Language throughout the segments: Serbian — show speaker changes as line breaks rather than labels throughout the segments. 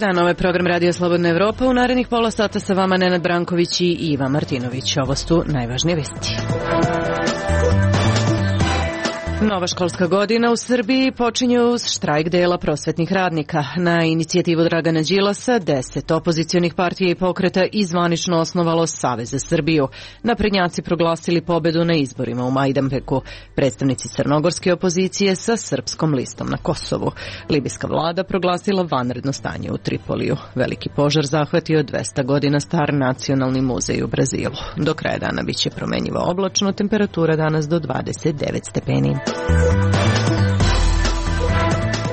dan, ovo je program Radio Slobodna Evropa. U narednih pola sata sa vama Nenad Branković i Iva Martinović. Ovo su najvažnije vesti. Nova školska godina u Srbiji počinje uz štrajk dela prosvetnih radnika. Na inicijativu Dragana Đilasa 10 opozicionih partija i pokreta izvanično osnovalo Savez za Srbiju. Naprednjaci proglasili pobedu na izborima u Majdanpeku. Predstavnici crnogorske opozicije sa srpskom listom na Kosovu. Libijska vlada proglasila vanredno stanje u Tripoliju. Veliki požar zahvatio 200 godina star nacionalni muzej u Brazilu. Do kraja dana biće promenjivo oblačno, temperatura danas do 29 stepeni.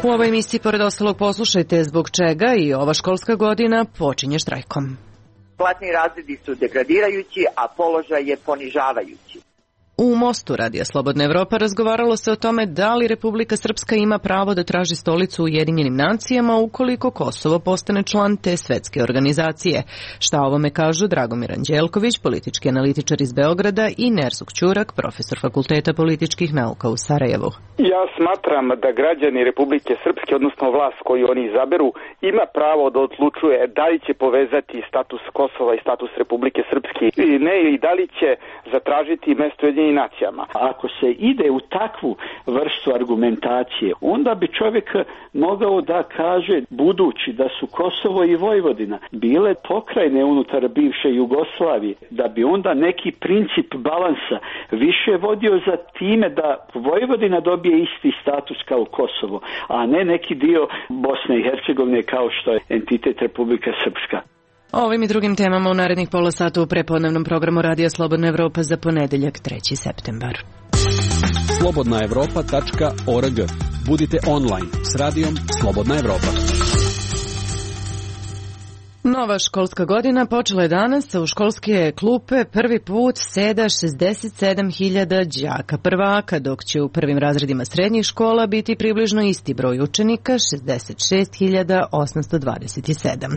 U ovoj emisiji, pored ostalog, poslušajte zbog čega i ova školska godina počinje štrajkom.
Platni razredi su degradirajući, a položaj je ponižavajući.
U Mostu Radija Slobodna Evropa razgovaralo se o tome da li Republika Srpska ima pravo da traži stolicu u Ujedinjenim nacijama ukoliko Kosovo postane član te svetske organizacije. Šta ovome kažu Dragomir Anđelković, politički analitičar iz Beograda, i Nerzuk Ćurak, profesor Fakulteta političkih nauka u Sarajevu.
Ja smatram da građani Republike Srpske, odnosno vlast koju oni izaberu, ima pravo da odlučuje da li će povezati status Kosova i status Republike Srpske ili ne, i da li će zatražiti mesto Ujedinjenim nacijama.
Ako se ide u takvu vrstu argumentacije, onda bi čovjek mogao da kaže, budući da su Kosovo i Vojvodina bile pokrajine unutar bivše Jugoslavije, da bi onda neki princip balansa više vodio za time da Vojvodina dobije isti status kao Kosovo, a ne neki dio Bosne i Hercegovine kao što je entitet Republika Srpska.
O ovim i drugim temama u narednih pola sata u prepodnevnom programu Radija Slobodna Evropa za ponedeljak 3. septembar.
slobodnaevropa.org. Budite online s radijom Slobodna Evropa.
Nova školska godina počela je danas, a u školske klupe prvi put seda 67.000 đaka prvaka, dok će u prvim razredima srednjih škola biti približno isti broj učenika, 66.827.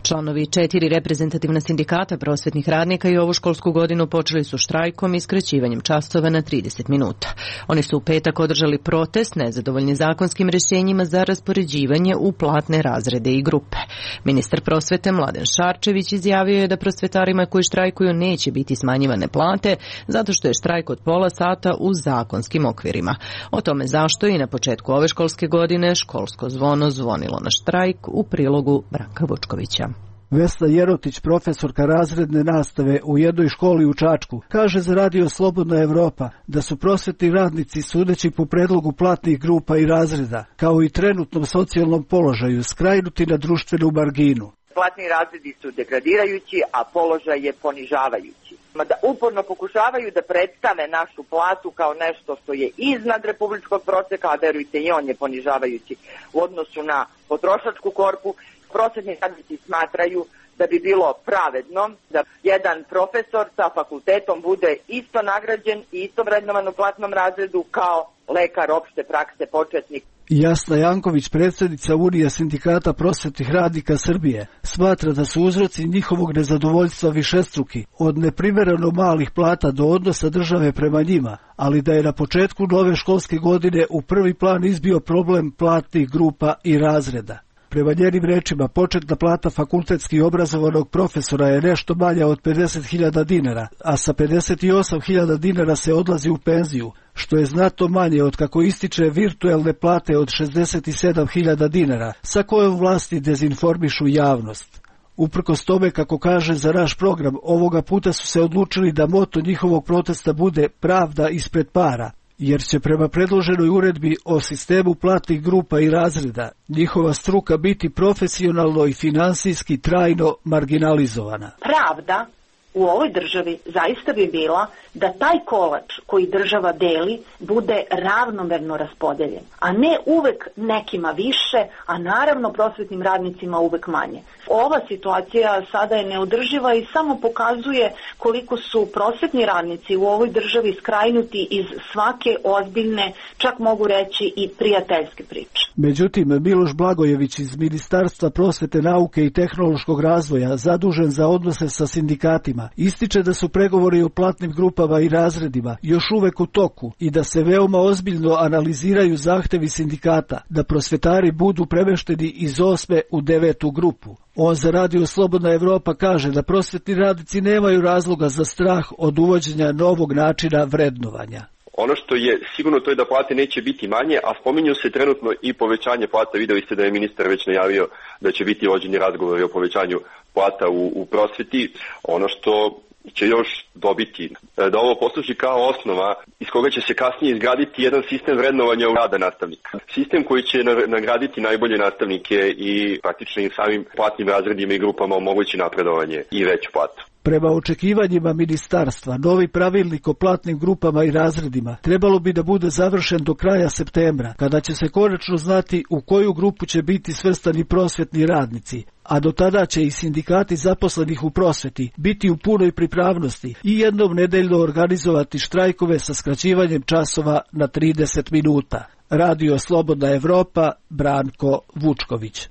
Članovi 4 reprezentativna sindikata prosvetnih radnika i ovu školsku godinu počeli su štrajkom i skraćivanjem časova na 30 minuta. Oni su u petak održali protest nezadovoljni zakonskim rješenjima za raspoređivanje u platne razrede i grupe. Ministar prosvete Mladen Šarčević izjavio je da prosvetarima koji štrajkuju neće biti smanjivane plate zato što je štrajk od pola sata u zakonskim okvirima. O tome zašto i na početku ove školske godine školsko zvono zvonilo na štrajk u prilogu Branka Vučkovića.
Vesna Jerotić, profesorka razredne nastave u jednoj školi u Čačku, kaže za Radio Slobodna Evropa da su prosvetni radnici, sudeći po predlogu platnih grupa i razreda, kao i trenutnom socijalnom položaju, skrajnuti na društvenu marginu.
Platni razredi su degradirajući, a položaj je ponižavajući. Da uporno pokušavaju da predstave našu platu kao nešto što je iznad republičkog proseka, a verujte i on je ponižavajući u odnosu na potrošačku korpu. Prosvetni radnici smatraju da bi bilo pravedno da jedan profesor sa fakultetom bude isto nagrađen i isto vrednovan u platnom razredu kao lekar opšte prakse početnik.
Jasna Janković, predsjednica Unije sindikata prosvetnih radnika Srbije, smatra da su uzroci njihovog nezadovoljstva višestruki, od neprimereno malih plata do odnosa države prema njima, ali da je na početku nove školske godine u prvi plan izbio problem platnih grupa i razreda. Prema njenim rečima, početna plata fakultetski obrazovanog profesora je nešto manja od 50.000 dinara, a sa 58.000 dinara se odlazi u penziju, što je znatno manje od kako ističe virtuelne plate od 67.000 dinara, sa kojom vlasti dezinformišu javnost. Uprkos tome, kako kaže za naš program, ovoga puta su se odlučili da moto njihovog protesta bude pravda ispred para, jer će prema predloženoj uredbi o sistemu platnih grupa i razreda njihova struka biti profesionalno i finansijski trajno marginalizovana.
Pravda u ovoj državi zaista bi bila da taj kolač koji država deli bude ravnomerno raspodeljen, a ne uvek nekima više, a naravno prosvetnim radnicima uvek manje. Ova situacija sada je neodrživa i samo pokazuje koliko su prosvetni radnici u ovoj državi skrajnuti iz svake ozbiljne, čak mogu reći i prijateljske priče.
Međutim, Miloš Blagojević iz Ministarstva prosvete, nauke i tehnološkog razvoja, zadužen za odnose sa sindikatima, ističe da su pregovori o platnim grupama i razredima još uvek u toku i da se veoma ozbiljno analiziraju zahtevi sindikata da prosvetari budu premešteni iz 8. u 9. grupu. On za Radio Slobodna Evropa kaže da prosvetni radnici nemaju razloga za strah od uvođenja novog načina vrednovanja.
Ono što je sigurno to je da plate neće biti manje, a spominju se trenutno i povećanje plata. Videli ste da je ministar već najavio da će biti vođeni razgovori o povećanju plata u prosveti. Ono što će još dobiti, da ovo posluži kao osnova iz koga će se kasnije izgraditi jedan sistem vrednovanja rada nastavnika. Sistem koji će nagraditi najbolje nastavnike i praktično i samim platnim razredima i grupama omogući napredovanje i veću platu.
Prema očekivanjima ministarstva, novi pravilnik o platnim grupama i razredima trebalo bi da bude završen do kraja septembra, kada će se konačno znati u koju grupu će biti svrstani prosvetni radnici, a do tada će i sindikati zaposlenih u prosveti biti u punoj pripravnosti i jednom nedeljno organizovati štrajkove sa skraćivanjem časova na 30 minuta. Radio Slobodna Evropa, Branko Vučković.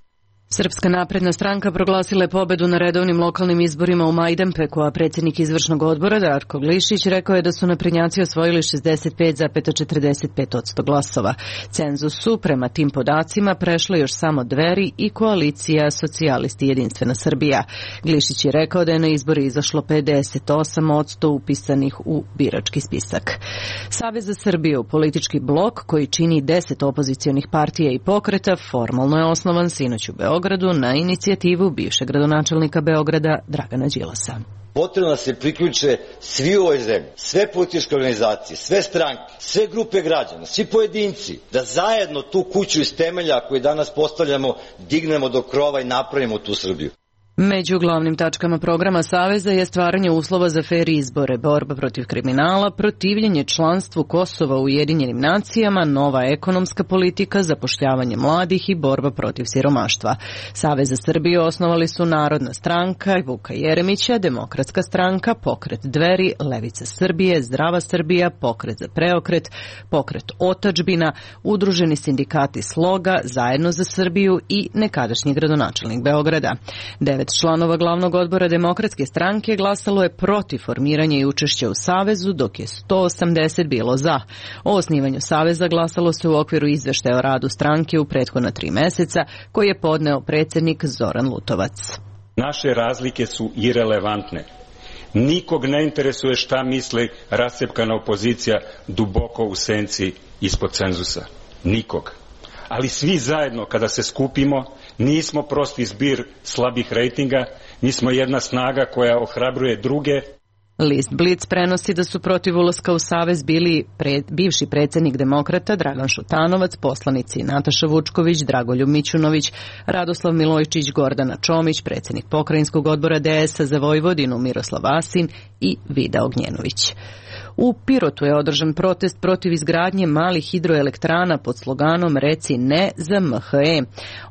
Srpska napredna stranka proglasila je pobedu na redovnim lokalnim izborima u Majdanpeku, a predsjednik izvršnog odbora Darko Glišić rekao je da su naprednjaci osvojili 65,45% glasova. Cenzus su prema tim podacima prešle još samo Dveri i koalicija Socijalisti Jedinstvena Srbija. Glišić je rekao da je na izbori izašlo 58% upisanih u birački spisak. Savez za Srbiju, politički blok koji čini 10 opozicionih partija i pokreta, formalno je osnovan sinoć u Beogradu na inicijativu bivšeg gradonačelnika Beograda Dragana Đilasa.
Potrebno da se priključe svi u ovoj zemlji, sve političke organizacije, sve stranke, sve grupe građana, svi pojedinci, da zajedno tu kuću iz temelja koju danas postavljamo dignemo do krova i napravimo tu Srbiju.
Među glavnim tačkama programa Saveza je stvaranje uslova za fer izbore, borba protiv kriminala, protivljenje članstvu Kosova u Ujedinjenim nacijama, nova ekonomska politika, zapošljavanje mladih i borba protiv siromaštva. Savez za Srbiju osnovali su Narodna stranka Vuka Jeremića, Demokratska stranka, Pokret Dveri, Levica Srbije, Zdrava Srbija, Pokret za preokret, Pokret Otadžbina, Udruženi sindikati Sloga, Zajedno za Srbiju i nekadašnji gradonačelnik Beograda. 9 članova glavnog odbora Demokratske stranke glasalo je protiv formiranja i učešća u Savezu, dok je 180 bilo za. O osnivanju Saveza glasalo se u okviru izveštaja o radu stranke u prethodna 3 meseca, koji je podneo predsjednik Zoran Lutovac.
Naše razlike su irelevantne. Nikog ne interesuje šta misli rascepkana opozicija duboko u senci ispod cenzusa. Nikog. Ali svi zajedno kada se skupimo, nismo prosti zbir slabih rejtinga, mi smo jedna snaga koja ohrabruje druge.
List Blic prenosi da su protiv ulaska u Savez bili bivši predsjednik Demokrata Dragan Šutanovac, poslanici Nataša Vučković, Dragoljub Mićunović, Radoslav Milojčić, Gordana Čomić, predsjednik pokrajinskog odbora DS-a za Vojvodinu Miroslav Asin i Vida Ognjenović. U Pirotu je održan protest protiv izgradnje malih hidroelektrana pod sloganom Reci ne za MHE.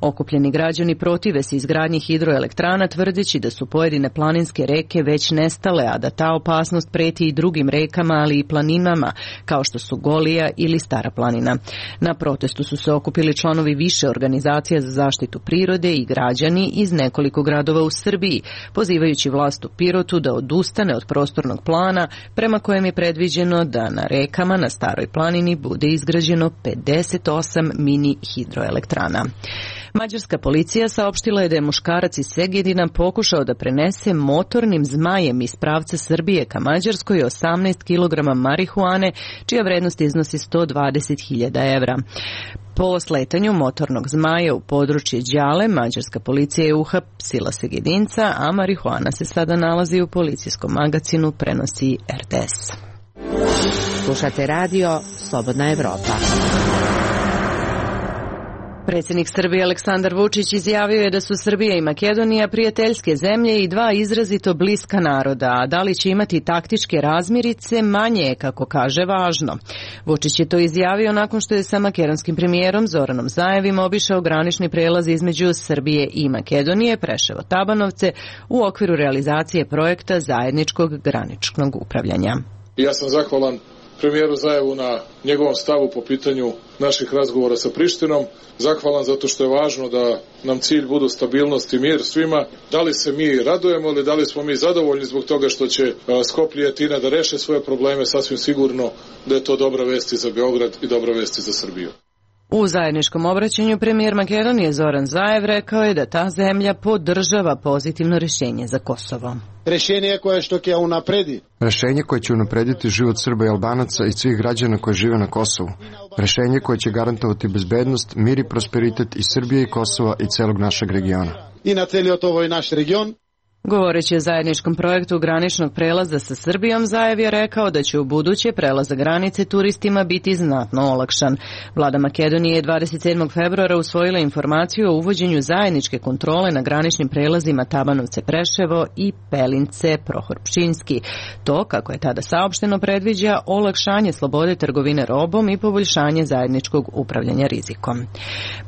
Okupljeni građani protive se izgradnji hidroelektrana tvrdeći da su pojedine planinske reke već nestale, a da ta opasnost preti i drugim rekama, ali i planinama, kao što su Golija ili Stara planina. Na protestu su se okupili članovi više organizacija za zaštitu prirode i građani iz nekoliko gradova u Srbiji, pozivajući vlast u Pirotu da odustane od prostornog plana prema kojem je predviđeno da na rekama na Staroj planini bude izgrađeno 58 mini hidroelektrana. Mađarska policija saopštila je da je muškarac iz Segedina pokušao da prenese motornim zmajem iz pravca Srbije ka Mađarskoj 18 kg marihuane, čija vrednost iznosi 120.000 evra. Po sletanju motornog zmaja u područje Đale, mađarska policija je uhapsila Segedinca, a marihuana se sada nalazi u policijskom magacinu, prenosi RTS.
Slušate radio Slobodna Evropa.
Predsjednik Srbije Aleksandar Vučić izjavio je da su Srbija i Makedonija prijateljske zemlje i dva izrazito bliska naroda, a da li će imati taktičke razmirice manje je, kako kaže, važno. Vučić je to izjavio nakon što je sa makedonskim premijerom Zoranom Zaevim obišao granični prelaz između Srbije i Makedonije, Preševo-Tabanovce, u okviru realizacije projekta zajedničkog graničnog upravljanja.
Ja sam zahvalan premijeru Zaevu na njegovom stavu po pitanju naših razgovora sa Prištinom. Zahvalan zato što je važno da nam cilj budu stabilnost i mir svima. Da li se mi radujemo ili da li smo mi zadovoljni zbog toga što će Skoplje i Atina da reše svoje probleme, sasvim sigurno da je to dobra vest i za Beograd i dobra vest i za Srbiju.
U zajedničkom obraćanju premijer Makedonije Zoran Zaev rekao je da ta zemlja podržava pozitivno rješenje za Kosovo.
Rješenje koje će unaprediti život Srba i Albanaca i svih građana koji žive na Kosovu. Rješenje koje će garantovati bezbednost, mir i prosperitet i Srbije i Kosova i celog našeg regiona.
I na celiot ovoj naš region.
Govoreći o zajedničkom projektu graničnog prelaza sa Srbijom, Zaev je rekao da će u buduće prelazak granice turistima biti znatno olakšan. Vlada Makedonije je 27. februara usvojila informaciju o uvođenju zajedničke kontrole na graničnim prelazima Tabanovce-Preševo i Pelince-Prohor-Pčinjski. To, kako je tada saopšteno, predviđa olakšanje slobode trgovine robom i poboljšanje zajedničkog upravljanja rizikom.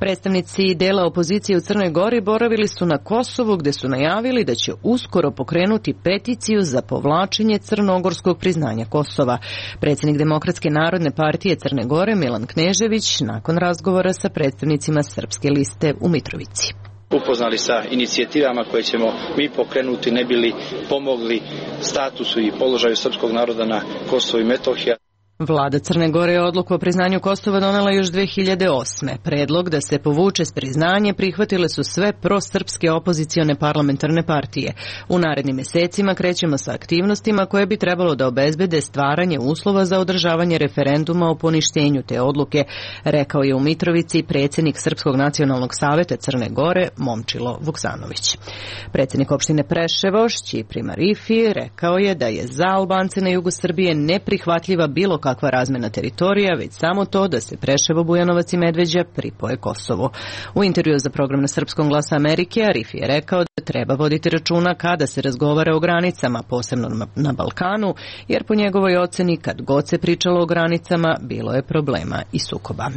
Predstavnici dela opozicije u Crnoj Gori boravili su na Kosovu, gde su najavili da će uskoro pokrenuti peticiju za povlačenje crnogorskog priznanja Kosova. Predsjednik Demokratske narodne partije Crne Gore Milan Knežević nakon razgovora sa predstavnicima Srpske liste u Mitrovici.
Upoznali sa inicijativama koje ćemo mi pokrenuti ne bili pomogli statusu i položaju srpskog naroda na Kosovu i Metohiji.
Vlada Crne Gore je odluku o priznanju Kosova donela još 2008. Predlog da se povuče s priznanje prihvatile su sve prosrpske opozicione parlamentarne partije. U narednim mjesecima krećemo sa aktivnostima koje bi trebalo da obezbede stvaranje uslova za održavanje referenduma o poništenju te odluke, rekao je u Mitrovici predsjednik Srpskog nacionalnog saveta Crne Gore Momčilo Vuksanović. Predsjednik opštine Preševo Šćipri Marifi rekao je da je za Albance na jugu Srbije neprihvatljiva bilo kakva razmena teritorija, već samo to da se Preševo, Bujanovac i Medveđa pripoje Kosovu. U intervju za program na Srpskom glasu Amerike, Arifi je rekao da treba voditi računa kada se razgovara o granicama, posebno na Balkanu, jer po njegovoj oceni kad god se pričalo o granicama, bilo je problema i sukoba.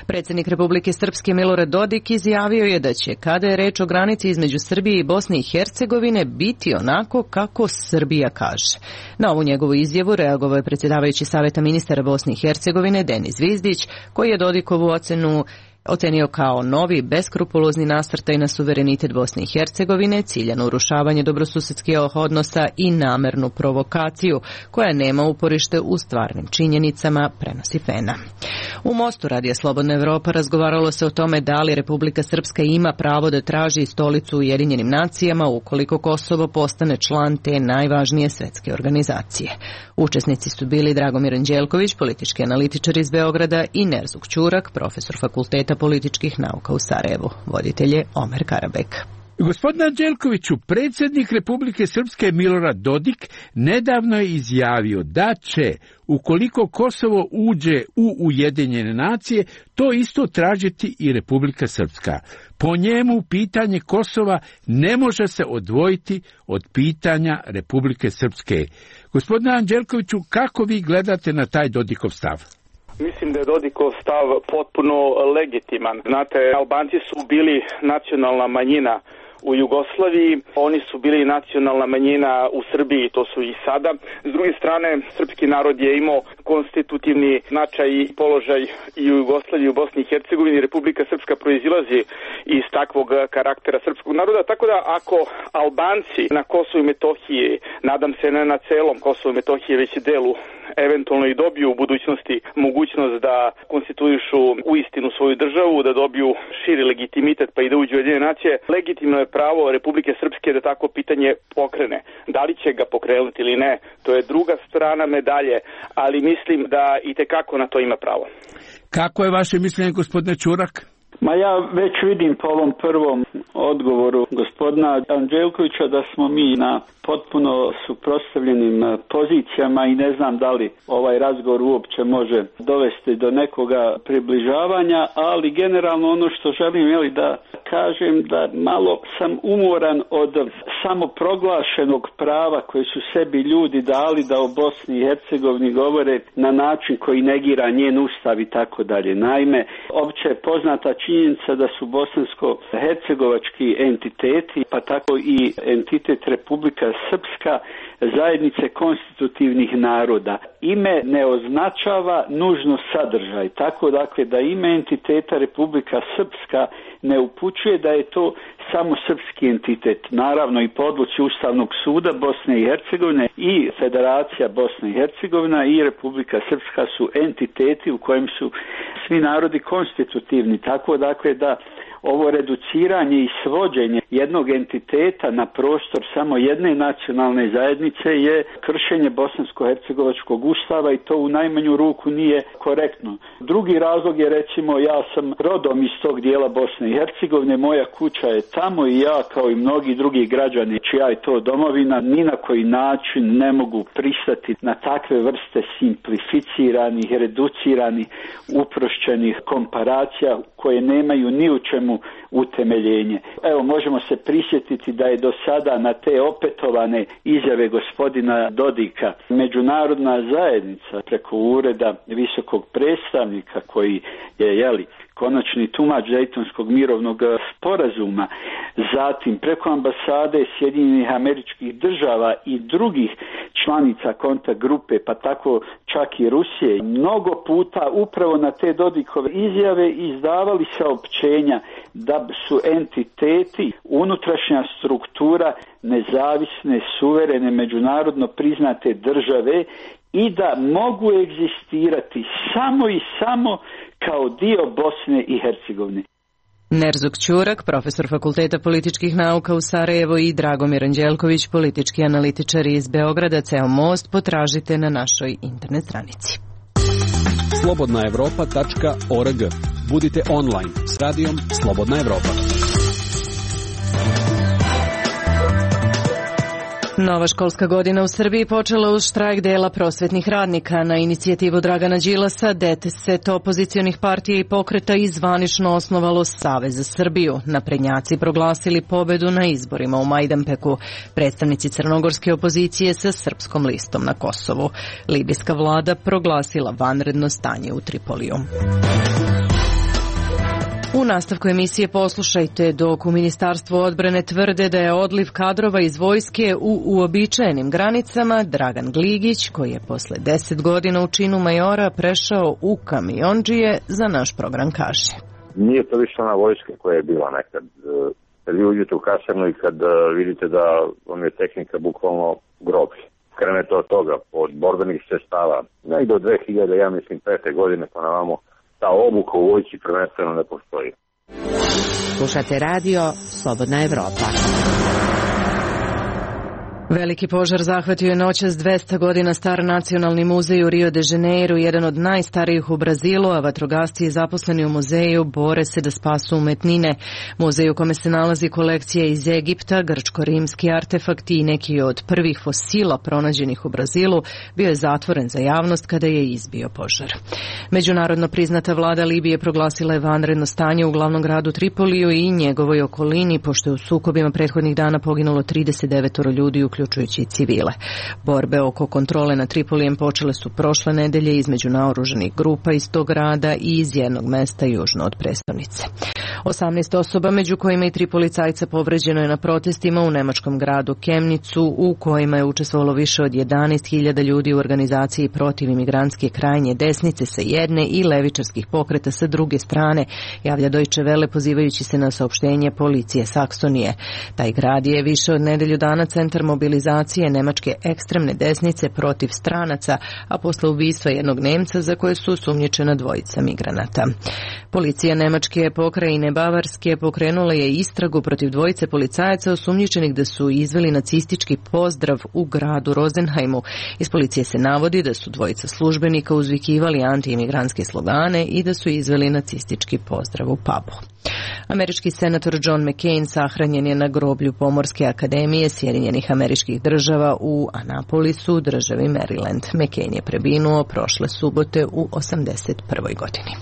Predsjednik Republike Srpske Milorad Dodik izjavio je da će, kada je reč o granici između Srbije i Bosne i Hercegovine, biti onako kako Srbija kaže. Na ovu njegovu izjavu reagovao je predsjedavajući Saveta ministara Bosne i Hercegovine Denis Vizdić, koji je Dodikovu ocenu ocenio kao novi, beskrupulozni nasrtaj na suverenitet Bosne i Hercegovine, ciljano urušavanje dobrosusedskih odnosa i namernu provokaciju, koja nema uporište u stvarnim činjenicama, prenosi Fena. U Mostu Radija Slobodna Evropa razgovaralo se o tome da li Republika Srpska ima pravo da traži stolicu u Ujedinjenim nacijama ukoliko Kosovo postane član te najvažnije svetske organizacije. Učesnici su bili Dragomir Anđelković, politički analitičar iz Beograda, i Nerzuk Ćurak, profesor Fakulteta političkih nauka u Sarajevu. Voditelj je Omer Karabek.
Gospodine Anđelkoviću, predsjednik Republike Srpske Milorad Dodik nedavno je izjavio da će, ukoliko Kosovo uđe u Ujedinjene nacije, to isto tražiti i Republika Srpska. Po njemu pitanje Kosova ne može se odvojiti od pitanja Republike Srpske. Gospodine Anđelkoviću, kako vi gledate na taj Dodikov stav?
Mislim da je Dodikov stav potpuno legitiman. Znate, Albanci su bili nacionalna manjina u Jugoslaviji, oni su bili nacionalna manjina u Srbiji, to su i sada. S druge strane, srpski narod je imao konstitutivni značaj i položaj i u Jugoslaviji i u Bosni i Hercegovini. Republika Srpska proizilazi iz takvog karaktera srpskog naroda, tako da ako Albanci na Kosovu i Metohiji, nadam se ne na celom Kosovu i Metohiji, već delu, eventualno i dobiju u budućnosti mogućnost da konstituišu uistinu svoju državu, da dobiju širi legitimitet pa i da uđu u Ujedinjene nacije, legitimno je pravo Republike Srpske da tako pitanje pokrene. Da li će ga pokrenuti ili ne, to je druga strana medalje, ali mislim da i tekako na to ima pravo.
Kako je vaše mišljenje, gospodine Ćurak?
Ma ja već vidim po ovom prvom odgovoru gospodina Anđelkovića da smo mi na potpuno suprotstavljenim pozicijama i ne znam da li ovaj razgovor uopće može dovesti do nekoga približavanja, ali generalno ono što želim da kažem da malo sam umoran od samoproglašenog prava koje su sebi ljudi dali da o Bosni i Hercegovini govore na način koji negira njen ustav i tako dalje. Naime, opće je poznata činjenica da su bosansko-hercegovački entiteti, pa tako i entitet Republika Srpska, zajednice konstitutivnih naroda. Ime ne označava nužno sadržaj, tako dakle da ime entiteta Republika Srpska ne upućuje da je to samo srpski entitet. Naravno i po odluci Ustavnog suda Bosne i Hercegovine i Federacija Bosne i Hercegovina i Republika Srpska su entiteti u kojem su svi narodi konstitutivni, tako dakle da ovo reduciranje i svođenje jednog entiteta na prostor samo jedne nacionalne zajednice je kršenje bosansko-hercegovačkog ustava i to u najmanju ruku nije korektno. Drugi razlog je recimo ja sam rodom iz tog dijela Bosne i Hercegovine, moja kuća je tamo i ja kao i mnogi drugi građani čija je to domovina ni na koji način ne mogu pristati na takve vrste simplificiranih, reduciranih, uprošćenih komparacija koje nemaju ni u čemu utemeljenje. Evo, možemo se prisjetiti da je do sada na te opetovane izjave gospodina Dodika međunarodna zajednica preko ureda visokog predstavnika koji je, konačni tumač Dejtonskog mirovnog sporazuma, zatim preko ambasade Sjedinjenih Američkih Država i drugih članica kontakt grupe, pa tako čak i Rusije, mnogo puta upravo na te Dodikove izjave izdavali saopćenja da su entiteti, unutrašnja struktura nezavisne, suverene, međunarodno priznate države i da mogu egzistirati samo i samo kao dio Bosne i Hercegovine.
Nerzuk Ćurak, profesor Fakulteta političkih nauka u Sarajevu i Dragomir Anđelković, politički analitičari iz Beograda. Ceo most potražite na našoj internet stranici.
slobodnaevropa.org. Budite online s radijom Slobodna Evropa.
Nova školska godina u Srbiji počela uz štrajk dela prosvetnih radnika. Na inicijativu Dragana Đilasa, 10 opozicionih partija i pokreta i zvanično osnovalo Savez za Srbiju. Naprednjaci proglasili pobedu na izborima u Majdanpeku. Predstavnici crnogorske opozicije sa Srpskom listom na Kosovu. Libijska vlada proglasila vanredno stanje u Tripoliju. U nastavku emisije poslušajte dok u Ministarstvu odbrane tvrde da je odliv kadrova iz vojske u uobičajenim granicama, Dragan Gligić, koji je posle 10 godina u činu majora prešao u kamiondžije, za naš program kaže.
Nije to više ona vojska koja je bila nekad. Kad vi uđete u kasarnu i kad vidite da vam je tehnika bukvalno groblje. Krenete od toga, od borbenih sredstava, negdje od 2005. godine pa na vamo, ta obuka u vojci prvenstveno ne postoji.
Slušate radio Slobodna Evropa.
Veliki požar zahvatio je noćas 200 godina star nacionalni muzej u Rio de Janeiro, jedan od najstarijih u Brazilu, a vatrogasci zaposleni u muzeju bore se da spasu umetnine. Muzej u kome se nalazi kolekcija iz Egipta, grčko-rimski artefakti i neki od prvih fosila pronađenih u Brazilu bio je zatvoren za javnost kada je izbio požar. Međunarodno priznata vlada Libije proglasila je vanredno stanje u glavnom gradu Tripoliju i njegovoj okolini, pošto je u sukobima prethodnih dana poginulo 39 ljudi, uključujući i civile. Borbe oko kontrole nad Tripolijem počele su prošle nedelje između naoružanih grupa iz tog grada i iz jednog mesta južno od prestonice. 18 osoba, među kojima i 3 policajca, povređeno je na protestima u nemačkom gradu Kemnicu, u kojima je učestvovalo više od 11.000 ljudi u organizaciji protiv imigrantske krajnje desnice sa jedne i levičarskih pokreta sa druge strane, javlja Deutsche Welle pozivajući se na saopštenje policije Saksonije. Taj grad je više od nedelju dana centar mobilizacije nemačke ekstremne desnice protiv stranaca, a posle ubistva jednog Nemca za koje su osumnjičena dvojica migranata. Policija nemačke pokrajine Skupštine Bavarske pokrenula je istragu protiv dvojice policajaca osumnjičenih da su izveli nacistički pozdrav u gradu Rosenheimu. Iz policije se navodi da su dvojica službenika uzvikivali antiimigrantske slogane i da su izveli nacistički pozdrav u pubu. Američki senator John McCain sahranjen je na groblju Pomorske akademije Sjedinjenih Američkih Država u Annapolisu, državi Maryland. McCain je preminuo prošle subote u 81. godini.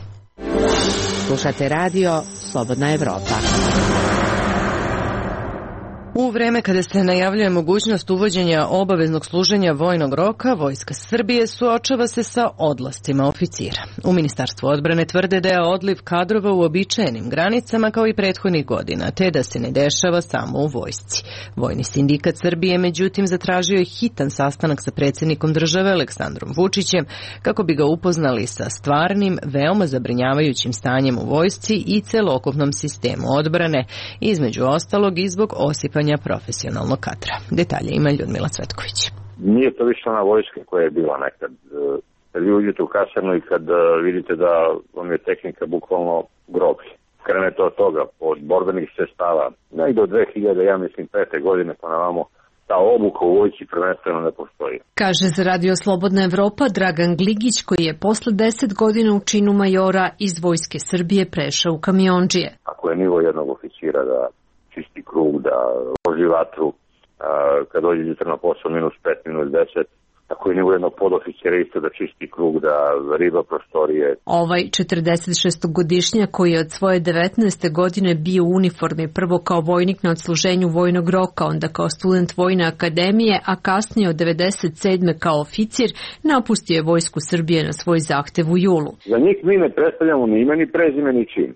Slušate radio Slobodna Evropa.
U vreme kada se najavljuje mogućnost uvođenja obaveznog služenja vojnog roka, Vojska Srbije suočava se sa odlascima oficira. U Ministarstvu odbrane tvrde da je odliv kadrova u uobičajenim granicama kao i prethodnih godina, te da se ne dešava samo u vojsci. Vojni sindikat Srbije, međutim, zatražio je hitan sastanak sa predsjednikom države Aleksandrom Vučićem kako bi ga upoznali sa stvarnim, veoma zabrinjavajućim stanjem u vojsci i celokupnom sistemu odbrane, između ostalog i zbog osipanja profesionalnog kadra. Detalje ima Ljudmila Cvetković.
Nije to više ona vojska koja je bila nekad. Kad vi uđete u kasarnu i kad vidite da vam je tehnika bukvalno groblje. Krenete od toga, od borbenih sredstava, negdje od 2005. godine pa na vamo, ta obuka u vojsci prvenstveno ne postoji.
Kaže za Radio Slobodna Evropa Dragan Gligić, koji je posle 10 godina u činu majora iz Vojske Srbije prešao u kamiondžije.
Ako je nivo jednog oficira da čisti krug, da loži vatru, kad dođe jutra na posao -5, -10, tako i nivo jednog podoficira isto da čisti krug, da riba prostorije.
Ovaj 46-godišnjak koji je od svoje 19. godine bio u uniformi, prvo kao vojnik na odsluženju vojnog roka, onda kao student Vojne akademije, a kasnije od 97. kao oficir, napustio je Vojsku Srbije na svoj zahtev u julu.
Za njih mi ne predstavljamo ni ime, ni prezime, ni čin.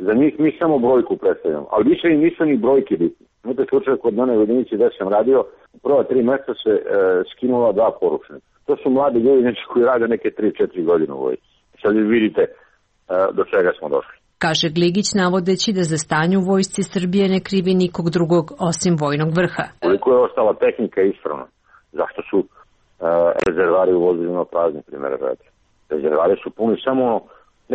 Za njih mi samo brojku predstavljamo, ali više i nisu ni brojke bitne. Imate slučaj kod mene u jedinici gde sam radio, u prva 3 mjeseca se skinula 2 poručnika. To su mladi ljudi koji rade neke 3-4 godine u vojsci. Sad vi vidite do čega smo došli.
Kaže Gligić, navodeći da za stanje u Vojsci Srbije ne krivi nikog drugog osim vojnog vrha.
Koliko je ostala tehnika ispravna? Zašto su rezervari u vozilima prazni, primjer radi? Rezervari su puni samo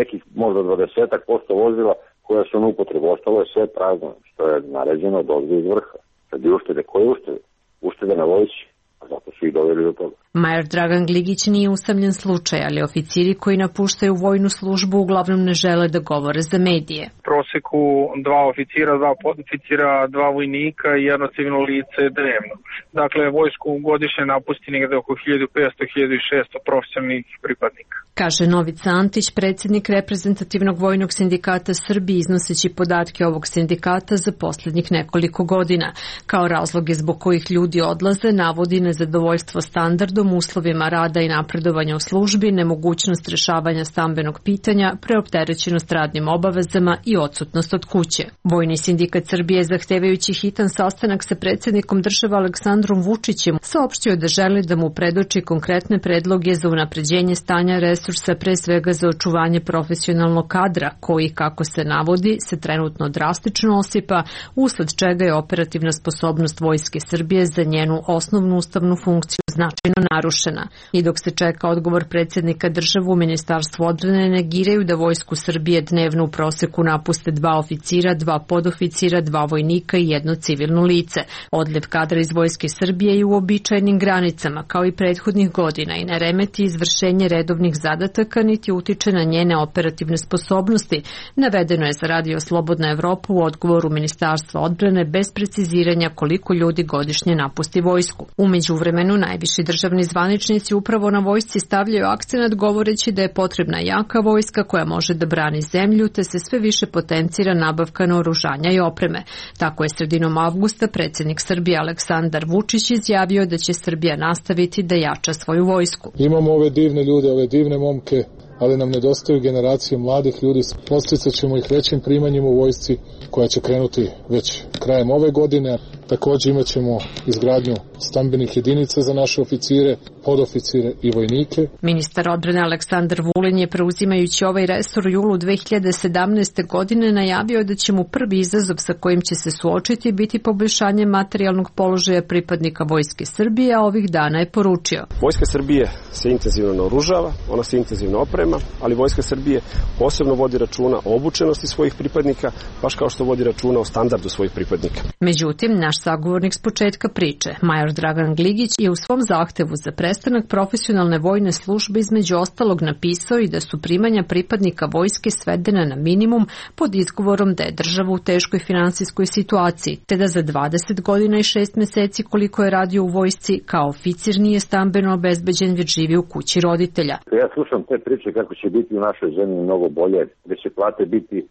nekih možda 20% vozila koja su na upotrebu, ostalo je sve prazno, što je naređeno od ovdje iz vrha. Sad je uštede, koje uštede? Uštede na vojsci, a zato su ih doveli do toga.
Majer Dragan Gligić nije usamljen slučaj, ali oficiri koji napuštaju vojnu službu uglavnom ne žele da govore za medije.
U proseku 2 oficira, 2 podoficira, 2 vojnika i 1 civilno lice dnevno. Dakle, vojsku godišnje napusti negde oko 1500-1600 profesionalnih pripadnika.
Kaže Novica Antić, predsjednik reprezentativnog vojnog sindikata Srbije, iznoseći podatke ovog sindikata za posljednjih nekoliko godina. Kao razloge zbog kojih ljudi odlaze navodi nezadovoljstvo standardom, uslovima rada i napredovanja u službi, nemogućnost rešavanja stambenog pitanja, preopterećenost radnim obavezama i odsutnost od kuće. Vojni sindikat Srbije, zahtevajući hitan sastanak sa predsjednikom države Aleksandrom Vučićem, saopštio da želi da mu predoči konkretne predloge za unapređenje stanja resursa, pre svega za očuvanje profesionalnog kadra, koji, kako se navodi, se trenutno drastično osipa, usled čega je operativna sposobnost Vojske Srbije za njenu osnovnu ustavnu funkciju značajno narušena. I dok se čeka odgovor predsjednika države, u Ministarstvu odbrane negiraju da Vojsku Srbije dnevno u proseku napuste 2 oficira, 2 podoficira, 2 vojnika i 1 civilno lice. Odliv kadra iz Vojske Srbije je u uobičajenim granicama, kao i prethodnih godina, i ne remeti izvršenje redovnih zadataka, niti utiče na njene operativne sposobnosti, navedeno je za Radio Slobodna Evropa u odgovoru Ministarstva odbrane bez preciziranja koliko ljudi godišnje napusti vojsku. U međuvremenu najviši državni zvaničnici upravo na vojsci stavljaju akcenat govoreći da je potrebna jaka vojska koja može da brani zemlju, te se sve više potencira nabavka naoružanja i opreme. Tako je sredinom avgusta predsjednik Srbije Aleksandar Vučić izjavio da će Srbija nastaviti da jača svoju vojsku.
Imamo ove divne ljude, ove divne momke, ali nam nedostaju generacije mladih ljudi. Podsticat ćemo ih većim primanjima u vojsci koja će krenuti već krajem ove godine, Takođe imat ćemo izgradnju stambenih jedinica za naše oficire, podoficire i vojnike.
Ministar odbrane Aleksandar Vulin je, preuzimajući ovaj resor u julu 2017. godine, najavio da će mu prvi izazov sa kojim će se suočiti biti poboljšanje materijalnog položaja pripadnika Vojske Srbije, a ovih dana je poručio:
Vojska Srbije se intenzivno naoružava, ona se intenzivno oprema, ali Vojska Srbije posebno vodi računa o obučenosti svojih pripadnika, baš kao što vodi računa o standardu svojih pripadnika.
Međutim, naš sagovornik s početka priče, major Dragan Gligić, je u svom zahtevu za prestanak profesionalne vojne službe između ostalog napisao i da su primanja pripadnika vojske svedena na minimum pod izgovorom da je država u teškoj finansijskoj situaciji, te da za 20 godina i 6 meseci koliko je radio u vojsci kao oficir nije stambeno obezbeđen, već živi u kući roditelja.
Ja slušam te priče kako će biti u našoj zemlji mnogo bolje, da će plate biti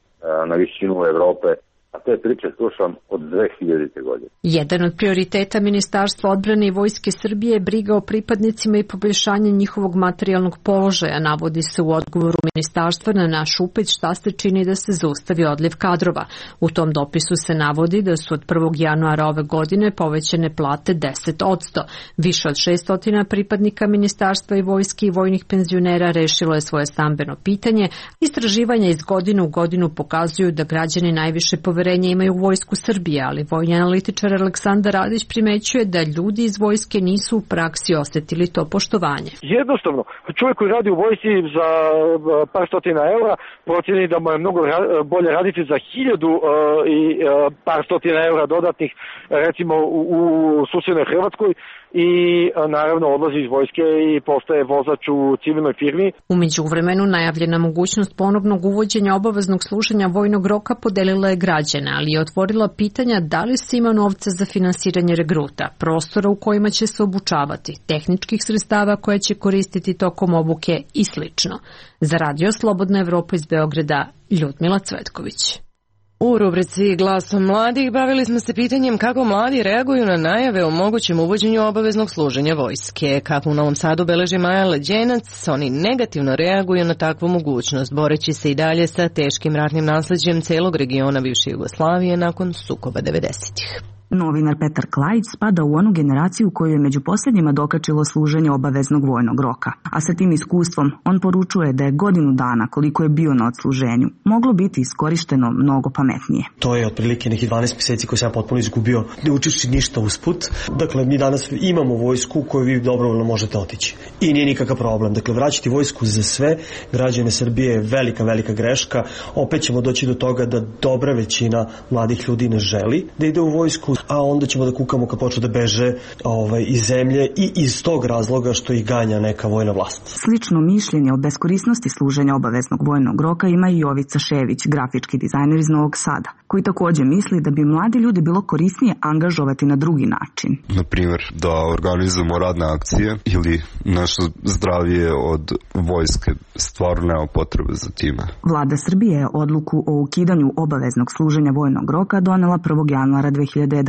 na višinu Evrope, a te priče slušam od 2000. godine.
Jedan od prioriteta Ministarstva odbrane i Vojske Srbije je briga o pripadnicima i poboljšanje njihovog materijalnog položaja, navodi se u odgovoru ministarstva na naš upit šta se čini da se zaustavi odliv kadrova. U tom dopisu se navodi da su od 1. januara ove godine povećane plate 10%. Više od 600 pripadnika ministarstva i vojske i vojnih penzionera rešilo je svoje stambeno pitanje. Istraživanja iz godine u godinu pokazuju da građani najviše poverenja imaju u Vojsku Srbije, ali vojni analitičar Aleksandar Radić primećuje da ljudi iz vojske nisu u praksi osetili to poštovanje.
Jednostavno, čovjek koji radi u vojsci za par stotina eura proceni da mu je mnogo bolje raditi za 1000 i par stotina eura dodatnih, recimo u susednoj Hrvatskoj, i naravno odlazi iz vojske i postaje vozač u civilnoj firmi.
U međuvremenu najavljena mogućnost ponovnog uvođenja obaveznog služenja vojnog roka podelila je građane, ali je otvorila pitanja da li se ima novca za finansiranje regruta, prostora u kojima će se obučavati, tehničkih sredstava koje će koristiti tokom obuke i slično. Za Radio Slobodna Evropa iz Beograda, Ljudmila Cvetković.
U rubrici Glasom mladih bavili smo se pitanjem kako mladi reaguju na najave o mogućem uvođenju obaveznog služenja vojske. Kako u Novom Sadu beleži Maja Leđenac, oni negativno reaguju na takvu mogućnost, boreći se i dalje sa teškim ratnim nasleđem celog regiona bivše Jugoslavije nakon sukoba 90-ih.
Novinar Petar Klajić spada u onu generaciju koju je među posljednjima dokačilo služenje obaveznog vojnog roka. A sa tim iskustvom on poručuje da je godinu dana koliko je bio na odsluženju moglo biti iskorišteno mnogo pametnije.
To je otprilike nekih 12 mjeseci koje sam potpuno izgubio, ne učivši ništa usput. Dakle, mi danas imamo vojsku koju vi dobrovoljno možete otići. I nije nikakav problem. Dakle, vraćati vojsku za sve građane Srbije je velika greška. Opet ćemo doći do toga da dobra većina mladih ljudi ne želi da ide u vojsku, a onda ćemo da kukamo kad počnu da beže iz zemlje i iz tog razloga što ih ganja neka vojna vlast.
Slično mišljenje o beskorisnosti služenja obaveznog vojnog roka ima i Jovica Šević, grafički dizajner iz Novog Sada, koji također misli da bi mladi ljudi bilo korisnije angažovati na drugi način.
Na primjer, da organizujemo radne akcije ili naše zdravije od vojske, stvarno nema potrebe za time.
Vlada Srbije je odluku o ukidanju obaveznog služenja vojnog roka donela 1. januara 2011.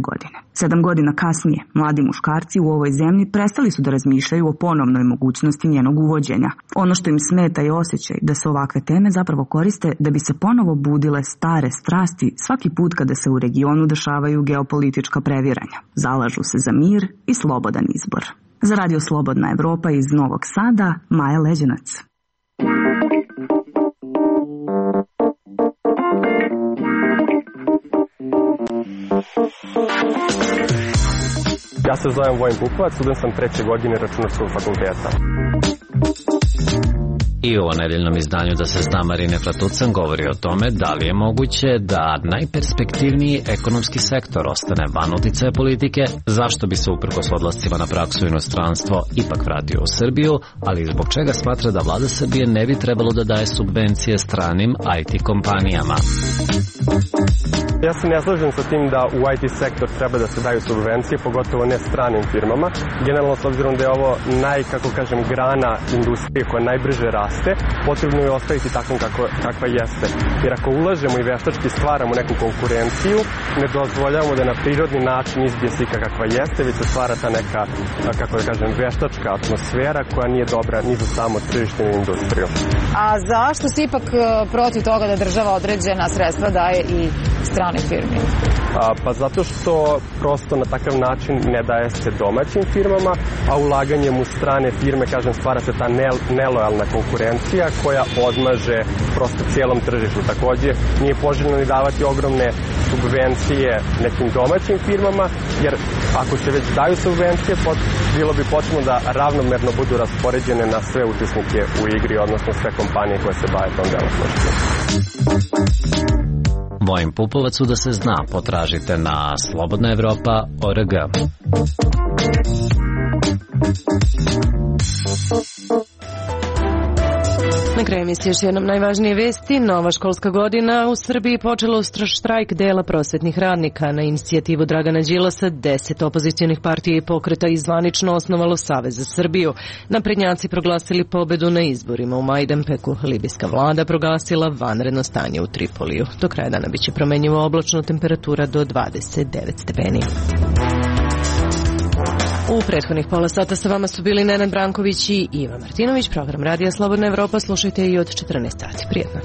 godine. 7 godina kasnije, mladi muškarci u ovoj zemlji prestali su da razmišljaju o ponovnoj mogućnosti njenog uvođenja. Ono što im smeta je osjećaj da se ovakve teme zapravo koriste da bi se ponovo budile stare strasti svaki put kada se u regionu dešavaju geopolitička previranja. Zalažu se za mir i slobodan izbor. Za Radio Slobodna Evropa iz Novog Sada, Maja Leđenac.
Ja se zovem Vojin Bukovac, student sam 3. godine Računarskog fakulteta.
I u nedeljnom izdanju Da se zna Marine Flatucan govori o tome da li je moguće da najperspektivniji ekonomski sektor ostane van uticaja politike, zašto bi se uprkos odlascima na praksu u inostranstvo ipak vratio u Srbiju, ali zbog čega smatra da vlada Srbije ne bi trebalo da daje subvencije stranim IT kompanijama.
Ja se ne slažem sa tim da u IT sektor treba da se daju subvencije, pogotovo ne stranim firmama. Generalno, s obzirom da je ovo grana industrije koja najbrže raste, potrebno je ostaviti takvom kakva jeste. Jer ako ulažemo i veštački stvaramo neku konkurenciju, ne dozvoljavamo da na prirodni način izbije slika kakva jeste, već se stvara ta neka, veštačka atmosfera koja nije dobra ni za samo tržište ni industriju.
A zašto si ipak protiv toga da država određena sredstva daje i
strane firme?
Pa zato što prosto na takav način ne daje se domaćim firmama, a ulaganjem u strane firme, kažem, stvara se ta nelojalna konkurencija koja odmaže prosto cijelom tržištu. Takođe, nije poželjno ni davati ogromne subvencije nekim domaćim firmama, jer ako se već daju subvencije, bilo bi potrebno da ravnomerno budu raspoređene na sve učesnike u igri, odnosno sve kompanije koje se bave tom delatnošću.
Vojin Pupovac, da se zna, potražite na slobodnaevropa.org.
Na kraju emisije još jednom najvažnije vesti. Nova školska godina u Srbiji počela uz štrajk dela prosvetnih radnika. Na inicijativu Dragana Đilasa 10 opozicionih partija i pokreta zvanično osnovalo Savez za Srbiju. Naprednjaci proglasili pobedu na izborima u Majdanpeku. Libijska vlada proglasila vanredno stanje u Tripoliju. Do kraja dana biće promenjivo oblačno, temperatura do 29 stepeni. U prethodnih pola sata sa vama su bili Nenad Branković i Iva Martinović. Program Radija Slobodna Evropa slušajte i od 14 sati. Prijetno.